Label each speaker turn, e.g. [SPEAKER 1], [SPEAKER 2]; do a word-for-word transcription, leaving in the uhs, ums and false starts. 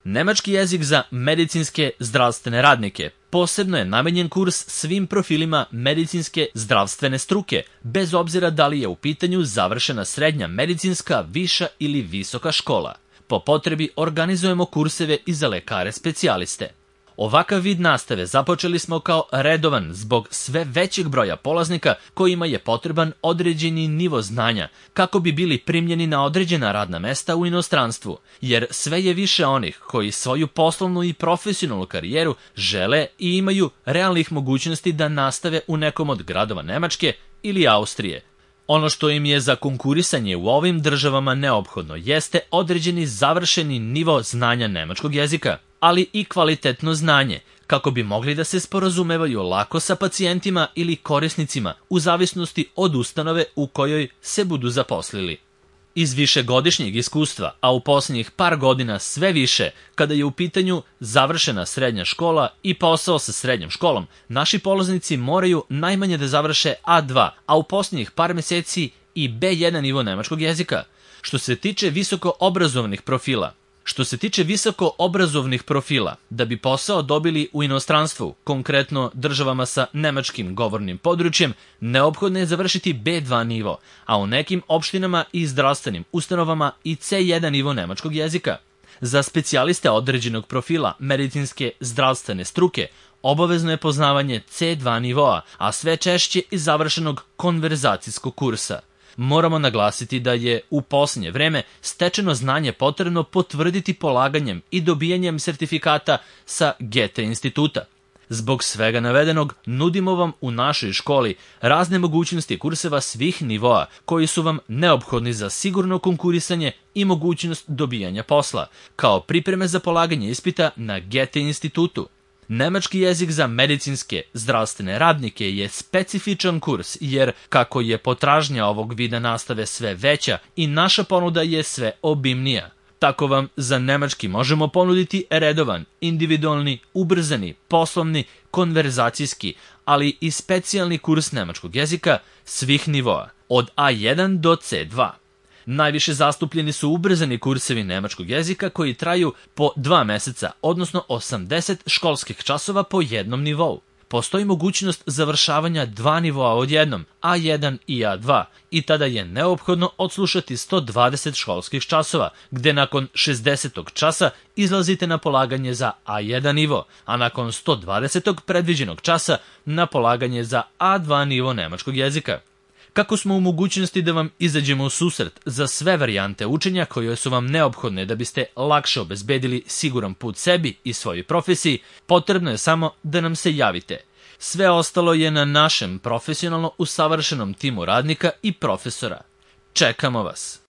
[SPEAKER 1] Nemački jezik za medicinske zdravstvene radnike posebno je namenjen kurs svim profilima medicinske zdravstvene struke, bez obzira da li je u pitanju završena srednja medicinska, viša ili visoka škola. Po potrebi organizujemo kurseve i za lekare specijaliste. Ovakav vid nastave započeli smo kao redovan zbog sve većeg broja polaznika kojima je potreban određeni nivo znanja kako bi bili primljeni na određena radna mesta u inostranstvu, jer sve je više onih koji svoju poslovnu i profesionalnu karijeru žele i imaju realnih mogućnosti da nastave u nekom od gradova Nemačke ili Austrije. Ono što im je za konkurisanje u ovim državama neophodno jeste određeni završeni nivo znanja nemačkog jezika, ali i kvalitetno znanje, kako bi mogli da se sporazumevaju lako sa pacijentima ili korisnicima u zavisnosti od ustanove u kojoj se budu zaposlili. Iz višegodišnjeg iskustva, a u posljednjih par godina sve više, kada je u pitanju završena srednja škola i posao sa srednjom školom, naši polaznici moraju najmanje da završe A dva, a u posljednjih par meseci i B jedan nivo nemačkog jezika. Što se tiče visoko obrazovnih profila, Što se tiče visoko obrazovnih profila, da bi posao dobili u inostranstvu, konkretno državama sa nemačkim govornim područjem, neophodno je završiti B dva nivo, a u nekim opštinama i zdravstvenim ustanovama i C jedan nivo nemačkog jezika. Za specijaliste određenog profila medicinske zdravstvene struke obavezno je poznavanje C dva nivoa, a sve češće i završenog konverzacijskog kursa. Moramo naglasiti da je u posljednje vreme stečeno znanje potrebno potvrditi polaganjem i dobijanjem sertifikata sa Goethe instituta. Zbog svega navedenog, nudimo vam u našoj školi razne mogućnosti kurseva svih nivoa koji su vam neophodni za sigurno konkurisanje i mogućnost dobijanja posla, kao pripreme za polaganje ispita na Goethe institutu. Nemački jezik za medicinske zdravstvene radnike je specifičan kurs jer, kako je potražnja ovog vida nastave sve veća i naša ponuda je sve obimnija, tako vam za nemački možemo ponuditi redovan, individualni, ubrzani, poslovni, konverzacijski, ali i specijalni kurs nemačkog jezika svih nivoa, od A jedan do C dva. Najviše zastupljeni su ubrzani kursevi nemačkog jezika koji traju po dva meseca, odnosno osamdeset školskih časova po jednom nivou. Postoji mogućnost završavanja dva nivoa odjednom, A jedan i A dva, i tada je neophodno odslušati sto dvadeset školskih časova, gde nakon šezdesetog časa izlazite na polaganje za A jedan nivo, a nakon sto dvadesetog predviđenog časa na polaganje za A dva nivo nemačkog jezika. Kako smo u mogućnosti da vam izađemo u susret za sve varijante učenja koje su vam neophodne da biste lakše obezbedili siguran put sebi i svojoj profesiji, potrebno je samo da nam se javite. Sve ostalo je na našem profesionalno usavršenom timu radnika i profesora. Čekamo vas!